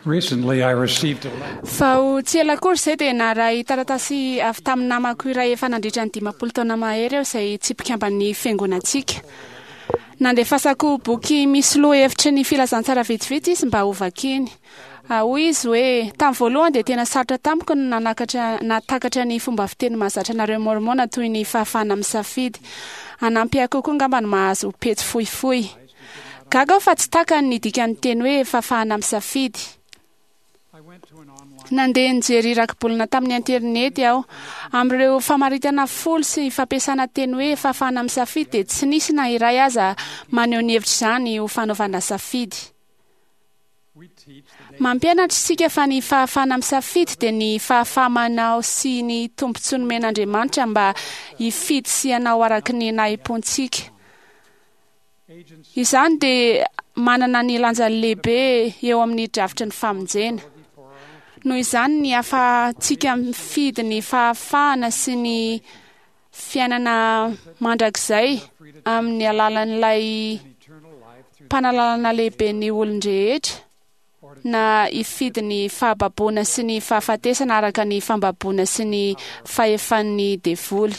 Recently, I received a letter. Vao tsy ela akory izay dia naharay taratasy avy tamin'ny namako iray efa nandritra ny 50 taona mahery aho izay tsy mpikamban'ny fiangonantsika. Nandefasako boky misy lohahevitry ny filazantsara vitsivitsy izy mba hovakiny. Hoy izy hoe, Tamin'ny voalohany dia tena sarotra tamiko ny nanakatra nahatakatra ny fomba fiteny mahazatra anareo Môrmôna toy ny fahafahana misafidy. Hanampy ahy kokoa angamba ny mahazo pejy fohifohy. Gaga aho fa tsy takany ny dikan'ny teny hoe fahafahana misafidy. Nandeha nijery rakibolana tamin'ny interinety aho. Amin'ireo famaritana folo sy fampiasana teny hoe fahafahana misafidy dia tsy nisy na iray aza maneho ny hevitr'izany ho fanaovana safidy. Mampianatra isika fa ny fahafahana misafidy dia ny fahafaha-manao sy ny tombontsoa nomen'Andriamanitra mba hifidy sy hanao araka ny nahim-pontsika. Izany dia manana ny lanjany lehibe eo amin'ny drafitry ny famonjena. Noho izany, ny ahafahantsika mifidy ny fahafahana sy ny fiainana mandrakizay amin'ny alalan'ilay Mpanalalana lehiben'ny olon-drehetra, na hifidy ny fahababoana sy ny fahafatesana araka ny fambaboana sy ny fahefan'ny devoly.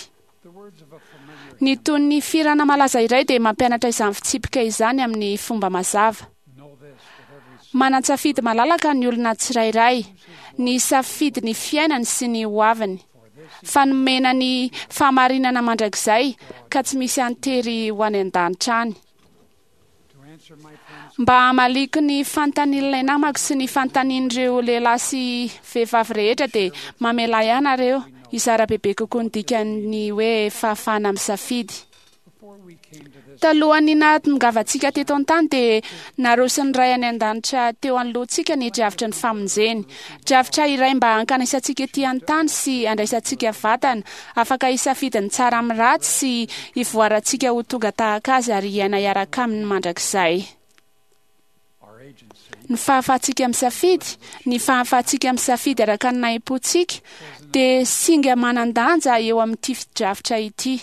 Ny tonon'ny fihirana malaza iray dia mampianatra izany fitsipika izany amin'ny fomba mazava. Manan-tsafidy malalaka ny olona tsirairay, ny hisafidy ny fiainany sy ny hoaviny. Fa nomena ny fahamarinana mandrakizay ka tsy misy an-tery ho any an-danitra any. Mba hamaliako ny fanontanian'ilay namako sy ny fanontanian'ireo lehilahy sy vehivavy rehetra dia mamelà ahy ianareo hizara bebe kokoa ny dikan'ny hoe fahafahana misafidy. Talohan'ny nahatongavantsika teto an-tany dia naroson'ny Ray any An-danitra teo anoloantsika ny drafitry ny famonjeny. Drafitra iray mba hankanesantsika ety an-tany sy handraisantsika vatana, afaka hisafidy ny tsara amin'ny ratsy sy hivoarantsika ho tonga tahaka Azy ary hiaina hiaraka Aminy mandrakizay. Ny fahafahantsika misafidy, ny fahafahantsika misafidy araka ny nahim-pontsika, dia singa manan-danja eo amin'ity drafitra ity.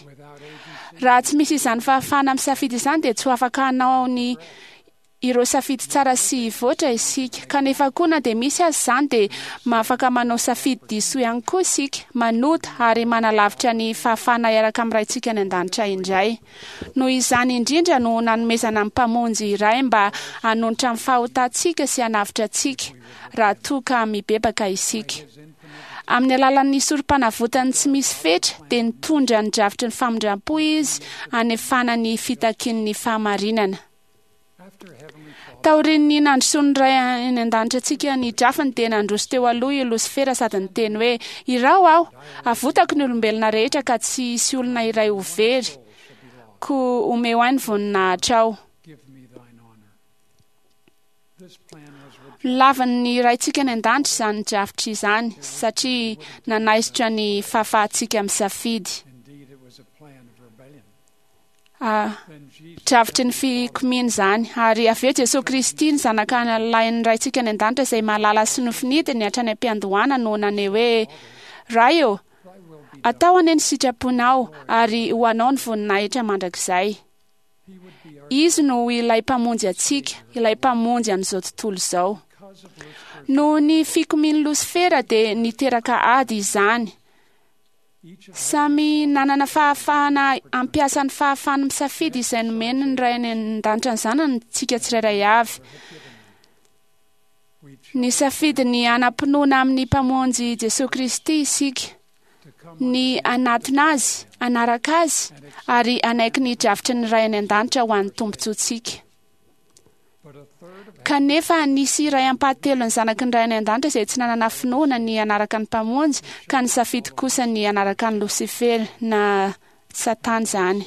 Raha tsy misy izany fahafahana misafidy izany dia tsy ho afaka hanao ny ireo safidy tsara sy hivoatra isika. Kanefa koa na dia misy aza izany dia afaka manao safidy diso ihany koa isika, manota ary manalavitra ny fahafahana hiaraka amin'ny Raintsika any An-danitra indray. Noho izany indrindra no nanomezana ny Mpamonjy iray mba hanonitra ny fahotantsika sy hanavotra antsika raha toa ka mibebaka isika. Amin'ny alalan'ny Sorompanavotany tsy misy fetra dia nitondra ny drafitry ny famindram-po Izy hanefana ny fitakian'ny fahamarinana. Taorian'ny nandrosoan'ny Ray any An-danitra antsika ny drafiny dia nandroso teo aloha i Losifera sady niteny hoe, Iraho aho! Avotako ny olombelona rehetra ka tsy hisy olona iray ho very, koa omeo ahy ny voninahitrao. Nolavin'ny Raintsika any An-danitra izany drafitra izany satria nanaisotra ny fahafahantsika misafidy. Drafitry ny fikomiana izany. Ary avy eo Jesoa Kristy, ny Zanaka lahin'ny Raintsika any An-danitra izay mahalala sy nofinidiny hatrany am-piandohana no naneho hoe, Ray ô, atao anie ny sitraponao, ary ho Anao ny voninahitra mandrakizay. Izy no ho ilay Mpamonjy antsika, ilay Mpamonjy an'izao tontolo izao. Noho ny fikomian'i Losifera dia niteraka ady izany. Samy nanana fahafahana hampiasa ny fahafahany misafidy izay nomeny ny Ray any An-danitra ny zanany isika tsirairay avy. Nisafidy ny hanam-pinoana amin'ny Mpamonjy Jesoa Kristy isika, ny hanatona Azy, hanaraka Azy, ary hanaiky ny drafitry ny Ray any An-danitra ho an'ny tombontsoantsika. Kanefa nisy iray ampahatelon'ny zanaky ny Ray any An-danitra izay tsy nanana finoana ny hanaraka ny Mpamonjy ka nisafidy kosa ny hanaraka an'i Losifera, na Satana izany.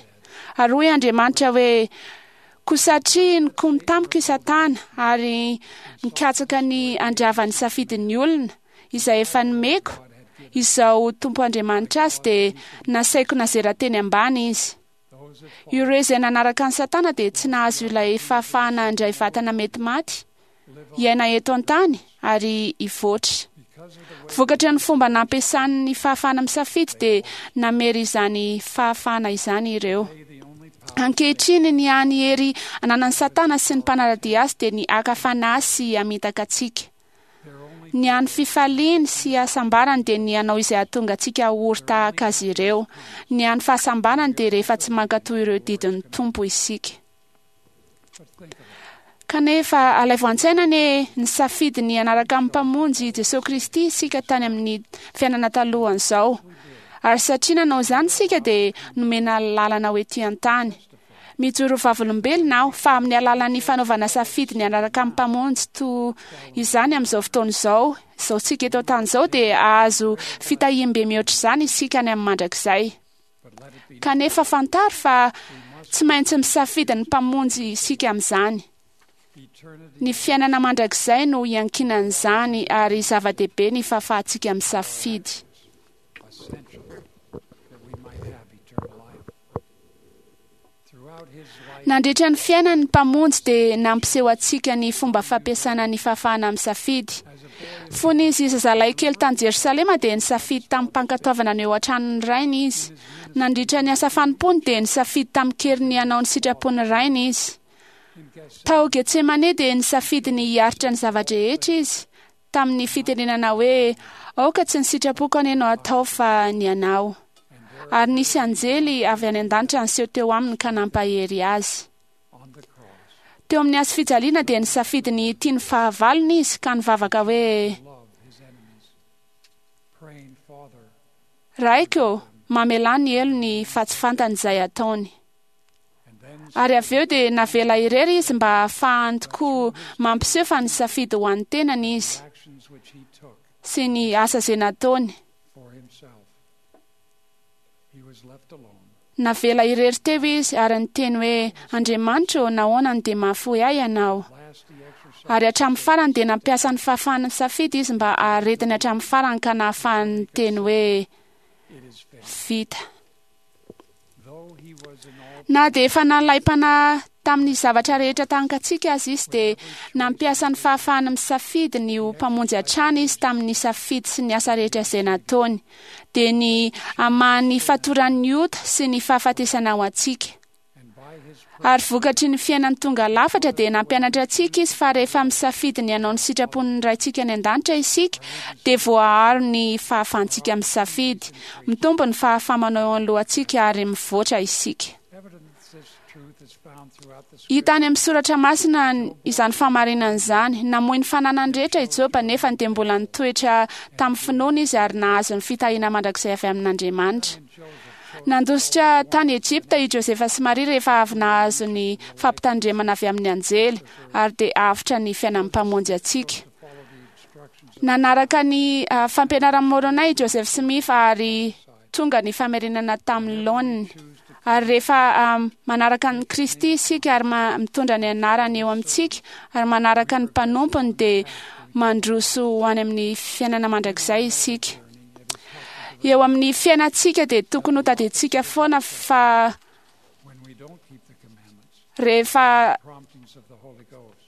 Ary hoy Andriamanitra hoe, Koa satria nikomy tamiko i Satana ary nikatsaka ny handrava ny safidin'ny olona, izay efa nomeko, izao Tompo Andriamanitra azy dia nasaiko nazera teny ambany izy. Ireo izay nanaraka an'i Satana dia tsy nahazo ilay fahafahana handray vatana mety maty, hiaina eto an-tany ary hivoatra. Vokatry ny fomba nampiasany ny fahafahana misafidy dia namery izany fahafahana izany ireo. Ankehitriny ny hany hery ananan'i Satana sy ny mpanara-dia azy dia ny haka fanahy sy hamitaka antsika. Ny hany fifaliany sy hasambarany dia ny hanao izay hahatonga antsika ho ory tahaka azy ireo. Ny hany fahasambarany dia rehefa tsy mankatò ireo didin'ny Tompo isika. Kanefa alaivo an-tsaina anie ny safidy ny hanaraka ny Mpamonjy Jesoa Kristy isika tany amin'ny fiainana talohan'izao. Ary satria nanao izany isika dia nomena lalana ho ety an-tany. Mijoro vavolombelona aho fa amin'ny alalan'ny fanaovana safidy ny hanaraka ny Mpamonjy toa izany amin'izao fotoana izao, izao tsika eto an-tany izao dia hahazo fitahiam-be mihoatra izany isika any amin'ny mandrakizay. Kanefa fantaro fa tsy maintsy misafidy ny Mpamonjy isika amin'izany. Ny fiainana mandrakizay no iankinan'izany ary zava-dehibe ny fahafahantsika misafidy. Nandritra ny fiainany ny Mpamonjy dia nampiseho antsika ny fomba fampiasana ny fahafahana misafidy. Fony izy zazalahy kely tany Jerosalema dia nisafidy tamim-pankatoavana ny eo an-tranon'ny Rainy izy. Nandritra ny asa fanompoany dia nisafidy tamin-kery ny hanao ny sitrapon'ny Rainy izy. Tao Getsemane dia nisafidy ny hiaritra ny zava-drehetra izy, tamin'ny fitenenana hoe, Aoka tsy ny sitrapoko anie no hatao fa ny anao. Ary nisy anjely avy any an-danitra niseho teo aminy ka nampahery azy. Teo amin'ny hazo fijaliana dia nisafidy ny hitia ny fahavalony izy ka nivavaka hoe, Raiko ô, mamelà ny helony fa tsy fantany izay ataony. Ary avy eo dia navela irery izy mba hahafahany tokoa mampiseho fa nisafidy ho an'ny tenany izy sy ny asa izay nataony. Navela irery teo izy ary niteny hoe, Andriamanitra ô, nahoana no dia mahafoy ahy Ianao? Ary hatramin'ny farany dia nampiasa ny fahafahany misafidy izy mba haharetany hatramin'ny farany ka nahafahany niteny hoe, Vita. Na dia efa nalaim-panahy tamin'ny zavatra rehetra tahaka antsika aza izy dia nampiasa ny fahafahany misafidy ny ho mpamonjy hatrany izy tamin'ny safidy sy ny asa rehetra izay nataony, dia ny hamaha ny fatoran'ny ota sy ny fahafatesana ho antsika. Ary vokatry ny fiainany tonga lafatra dia nampianatra antsika izy fa rehefa misafidy ny hanao ny sitrapon'ny Raintsika any an-danitra isika dia voaaro ny fahafahantsika misafidy. Mitombo ny fahafaha-manao eo anoloantsika ary mivoatra isika. Hita any amin'ny soratra masina izany fahamarinana izany. Namoy ny fananany rehetra i Joba nefa dia mbola nitoetra tamin'ny finoana izy ary nahazo ny fitahiana mandrakizay avy amin'Andriamanitra. Nandositra tany Egypta i Josefa sy Maria rehefa avy nahazo ny fampitandremana avy amin'ny anjely, ary dia avotra ny fiainan'ny Mpamonjy antsika. Nanaraka ny fampianaran'i Môrônay i Joseph Smith ary tonga ny famerenana tamin'ny laoniny. Ary rehefa manaraka an'i Kristy isika ary mitondra ny anarany eo amintsika ary manaraka ny mpanompony dia mandroso ho any amin'ny fiainana mandrakizay isika. Eo amin'ny fiainantsika dia tokony ho tadidintsika foana fa rehefa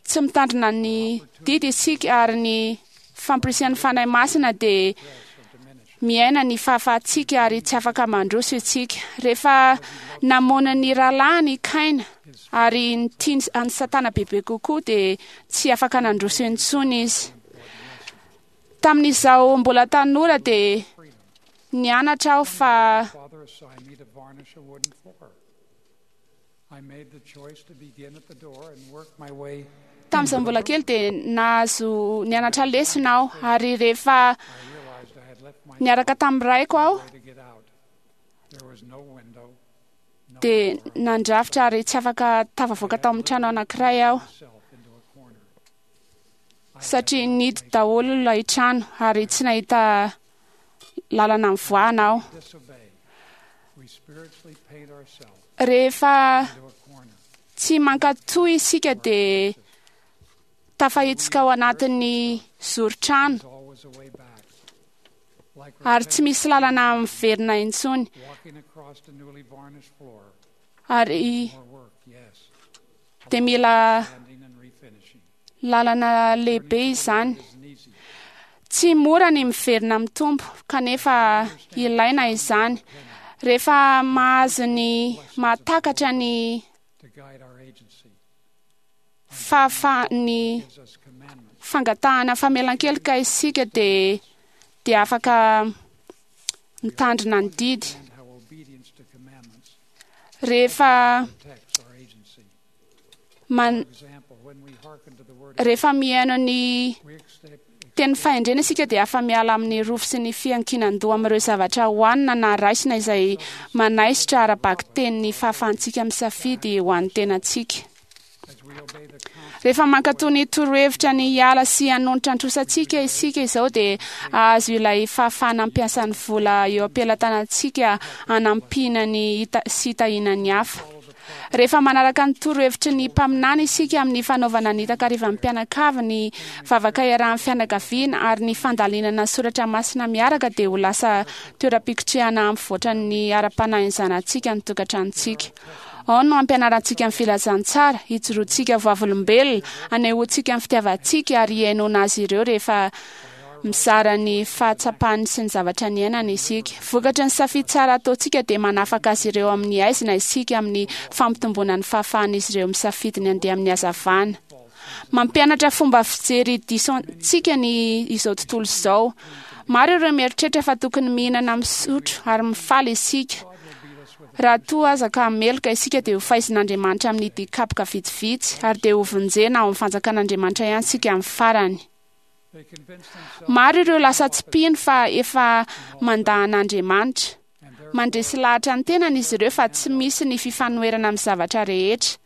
tsy mitandrina ny didy isika ary ny fampirisihan'ny Fanahy Masina dia miaina ny fahafahantsika ary tsy afaka mandroso isika. Rehefa namono ny rahalahiny i Kaina ary nitia an'i Satana bebe kokoa dia tsy afaka nandroso intsony izy. Tamin'izaho mbola tanora dia nianatra aho fa Tamin'izaho mbola kely dia nahazo nianatra lesona aho ary rehefa niaraka tamin'ny raiko aho dia nandrafitra ary tsy afaka tafavoaka tao amin'ny trano anankiray aho satria nidy daholo ilay trano ary tsy nahita lalana nivoahana aho. Rehefa tsy mankatò isika dia tafahitsoka ao anatin'ny zoron-trano ary tsy misy lalana miverina intsony. Ary dia mila lalana lehibe izany. Tsy mora ny miverina amin'ny Tompo, kanefa ilaina izany. Rehefa mahazo ny mahatakatra ny fahafahan'ny fangatahana famelan-keloka isika dia afaka mitandrina ny didy. Rehefa rehefa mihaino ny teny fahendrena isika dia afa-miala amin'ny rofy sy ny fiankinan-doha amin'ireo zavatra hohanina na raisina izay manaisotra ara-bakiteny ny fahafahantsika misafidy ho an'ny tenantsika. Rehefa mankatò ny torohevitra ny hiala sy hanonitra ny trosantsika isika izao dia hahazo ilay fahafahana hampiasa ny vola eo am-pelatanantsika hanampiana ny sy hitahiana ny hafa. Rehefa manaraka ny torohevitry ny mpaminany isika amin'ny fanaovana ny takarivan'ny mpianakavy, ny vavaka iarahan'ny fianakaviana ary ny fandalinana soratra masina miaraka dia ho lasa toeram-pikotrehana hampivoatra ny ara-panahin'ny zanatsika ny tokantranontsika. Ao no hampianarantsika ny filazantsara, hijoroantsika vavolombelona, hanehoantsika ny fitiavantsika ary hihainoana azy ireo rehefa mizara ny fahatsapany sy ny zavatra niainany isika. Vokatry ny safidy tsara ataontsika dia manafaka azy ireo amin'ny haizina isika amin'ny fampitomboana ny fahafahan'izy ireo misafidy ny handeha amin'ny hazavana. Mampianatra fomba fijery diso antsika ny izao tontolo izao. Maro ireo mieritreritra fa tokony mihinana, misotro ary mifaly isika. Raha toa aza ka meloka isika dia ho faizin'Andriamanitra amin'ny dikapoka vitsivitsy ary dia ho vonjena ao amin'ny fanjakan'Andriamanitra ihany isika amin'ny farany. Maro ireo lasa tsy mpino fa efa mandà an'Andriamanitra. Mandresy lahatra ny tenany izy ireo fa tsy misy ny fifanoherana amin'ny zavatra rehetra.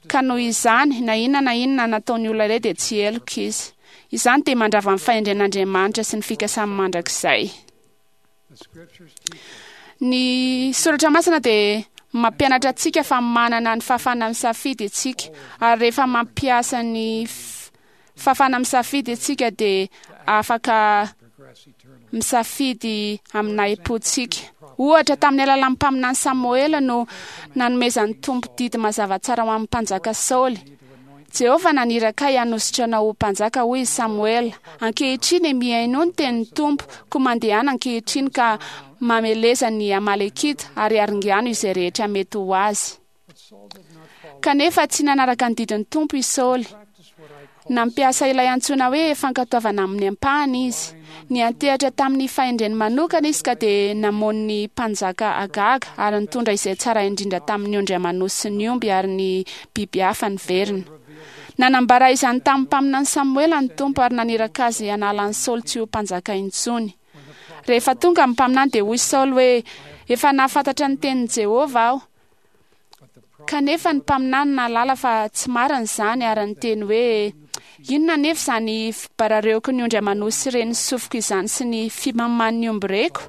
Ka noho izany, na inona na inona nataon'ny olona iray dia tsy heloka izy. Izany dia mandrava ny fahendren'Andriamanitra sy ny fikasany mandrakizay. Ny soratra masina dia mampianatra antsika fa manana ny fahafahana misafidy isika, ary rehefa mampiasa ny fahafahana misafidy isika dia afaka misafidy amin'ny nahim-pontsika. Ohatra, tamin'ny alalan'ny mpaminany Samoela no nanomezan'ny Tompo didy mazava tsara ho an'ny mpanjaka Saoly. Jehovah naniraka ahy hanositra anao ho mpanjaka, hoy i Samoela. Ankehitriny, mihainoa ny tenin'ny Tompo, koa mandehana ankehitriny ka mameleza ny Amalekita ary aringano izay rehetra mety ho azy. Kanefa tsy nanaraka ny didin'ny Tompo i Saoly. Nampiasa ilay antsoina hoe fankatoavana amin'ny ampahany izy. Niantehatra tamin'ny fahendreny manokana izy ka dia namono ny mpanjaka Agaga ary nitondra izay tsara indrindra tamin'ny ondry aman'osy sy ny omby ary ny biby hafa niverina. Nanambara izany tamin'ny mpaminany Samoela ny Tompo ary naniraka azy hanala an'i Saoly tsy ho mpanjaka intsony. Rehefa tonga ny mpaminany dia hoy Saoly hoe, Efa nahafantatra ny tenin'i Jehovah aho. Kanefa ny mpaminany nahalala fa tsy marina izany ary niteny hoe, Inona anefa izany fibarareoko ny ondry aman'osy sy ren'ny sofiko izany sy ny fimaman'ny omby reko?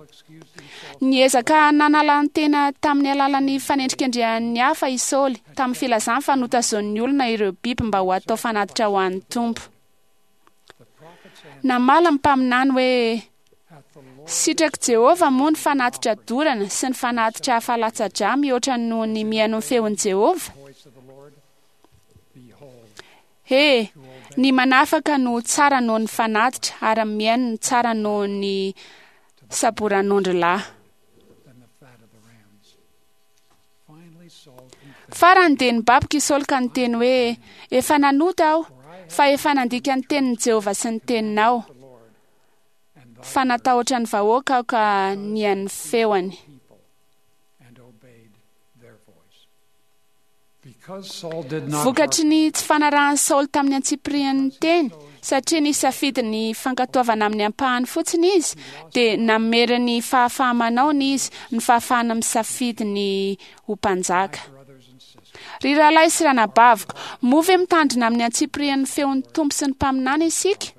Niezaka nanala ny tena tamin'ny alalan'ny fanendrikendrehan'ny hafa i Saoly, tamin'ny filazany fa notazonin'ny olona ireo biby mba ho atao fanatitra ho an'ny Tompo. Namaly ny mpaminany hoe, Sitrak'i Jehovah moa ny fanatitra dorana sy ny fanatitra hafa latsa-drà mihoatra noho ny mihaino ny feon'i Jehovah? He, ny manafaka no tsara noho ny fanatitra ary ny mihaino no tsara noho ny saboran'ondry lahy. Farany dia nibaboka i Saoly ka niteny hoe, Efa nanota aho, fa efa nandika ny tenin'i Jehovah sy ny teninao. Fa natahotra ny vahoaka aho ka nihaino ny feony. Vokatry ny tsy fanarahan'i Saoly tamin'ny antsipirian'ny teny, satria nisafidy ny fankatoavana amin'ny ampahany fotsiny izy, dia namery ny fahafaha-manaony izy, ny fahafahana misafidy ny ho mpanjaka. Ry rahalahy sy ranabaviko, moa ve mitandrina amin'ny antsipirian'ny feon'ny Tompo sy ny mpaminany isika?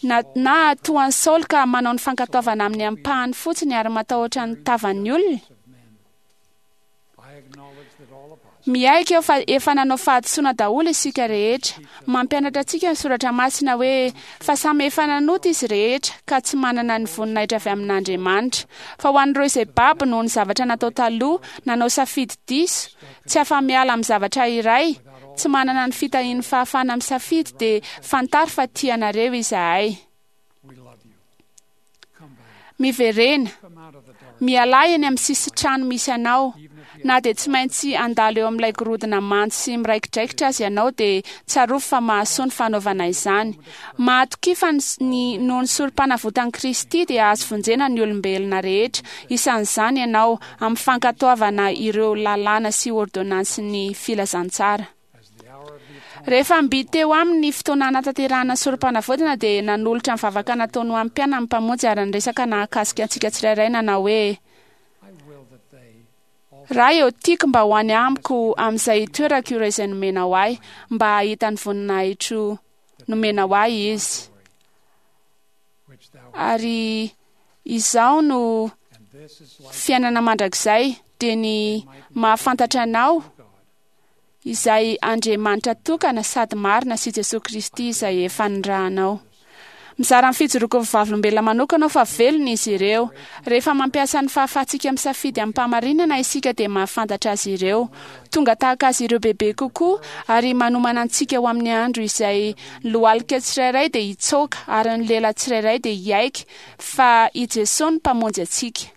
Na, na toa an'i Saoly ka manao ny fankatoavana amin'ny ampahany fotsiny ary matahotra ny tavan'ny olona? Miaiky aho fa efa nanao fahadisoana daholo isika rehetra. Mampianatra antsika ny soratra masina hoe, Fa samy efa nanota izy rehetra, ka tsy manana ny voninahitra avy amin'Andriamanitra. Fa ho an'ireo izay babo noho ny zavatra natao taloha, nanao safidy diso, tsy afa-miala amin'ny zavatra iray, tsy manana ny fitahian'ny fahafahana misafidy, dia fantaro fa tia anareo izahay. Miverena. Mialà eny amin'ny sisin-trano misy anao. Na dia tsy maintsy handalo eo amin'ilay gorodona mando sy miraikidraikitra aza ianao dia tsarovy fa mahasoa ny fanaovana izany. Mahatokia fa ny noho ny sorompanavotan'i Kristy dia azo vonjena ny olombelona rehetra, isan'izany ianao, amin'ny fankatoavana ireo lalàna sy ôrdônansin'ny filazantsara. Rehefa mby teo aminy ny fotoana hanatanterahana ny sorompanavotana dia nanolotra ny vavaka nataony ho an'ny mpianany ny Mpamonjy ary niresaka nahakasika antsika tsirairay nanao hoe, Ray ô, tiako mba ho any amiko amin'izay itoerako ireo izay nomenao ahy, mba hahita ny voninahitro nomenao ahy izy. Ary izao no fiainana mandrakizay, dia ny mahafantatra anao, izay Andriamanitra tokana sady marina sy Jesoa Kristy izay efa nirahanao. Mizara ny fijoroako ho vavolombelona manokana aho fa velona izy ireo. Rehefa mampiasa ny fahafahantsika misafidy amim-pahamarinana isika dia mahafantatra azy ireo. Tonga tahaka azy ireo bebe kokoa ary manomana antsika ho amin'ny andro izay ny lohalika tsirairay dia hitsoaka ary ny lela tsirairay dia hiaiky fa i Jesoa no Mpamonjy antsika.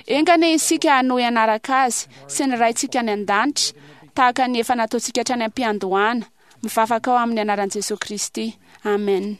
Enga anie isika hanohy hanaraka Azy sy ny Raintsika any An-danitra tahaka ny efa nataontsika hatrany am-piandohana. Mivavaka aho amin'ny anaran'i Jesoa Kristy. Amen.